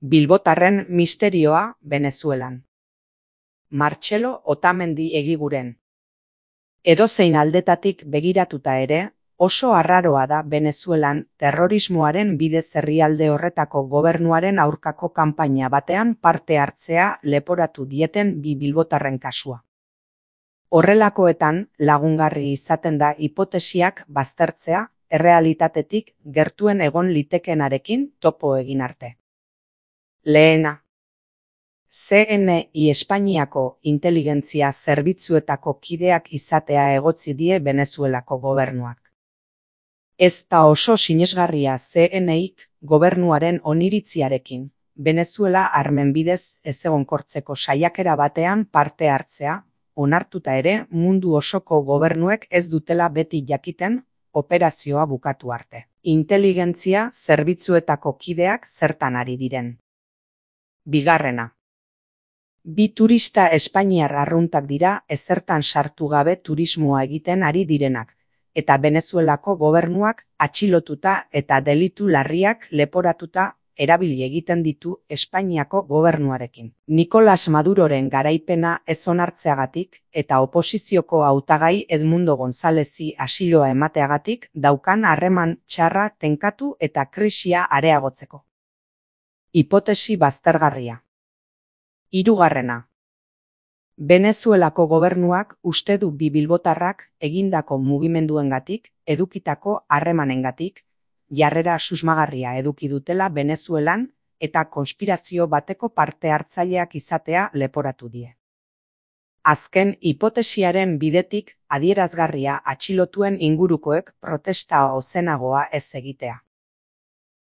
Bilbotarren misterioa Venezuelan. Martxelo Otamendi Egiguren. Edozein aldetatik begiratuta ere, oso arraroa da Venezuelan terrorismoaren bidez herrialde horretako gobernuaren aurkako kanpaina batean parte hartzea leporatu dieten bi bilbotarren kasua. Horrelakoetan lagungarri izaten da hipotesiak baztertzea errealitatetik gertuen egon litekenarekin topo egin arte. Lehena. CNI Espainiako inteligentzia zerbitzuetako kideak izatea egotzi die Venezuelako gobernuak. Ez da oso sinesgarria CNIk gobernuaren oniritziarekin, Venezuela armen bidez ezegonkortzeko saiakera batean parte hartzea, onartuta ere mundu osoko gobernuek ez dutela beti jakiten operazioa bukatu arte. Inteligentzia zerbitzuetako kideak zertan ari diren. Bigarrena. Bi turista espainiar arruntak dira ezertan sartu gabe turismoa egiten ari direnak, eta Venezuelako gobernuak atxilotuta eta delitu larriak leporatuta erabili egiten ditu Espainiako gobernuarekin. Nicolas Maduroren garaipena ez onartzeagatik eta oposizioko hautagai Edmundo Gonzálezi asiloa emateagatik daukan harreman txarra tenkatu eta krisia areagotzeko. Hipotesi baztergarria. Hirugarrena. Venezuelako gobernuak uste du bi bilbotarrak egindako mugimenduengatik, edukitako harremanengatik, jarrera susmagarria eduki dutela Venezuelan eta konspirazio bateko parte hartzaileak izatea leporatu die. Azken hipotesiaren bidetik adierazgarria atxilotuen ingurukoek protesta ozenagoa ez egitea.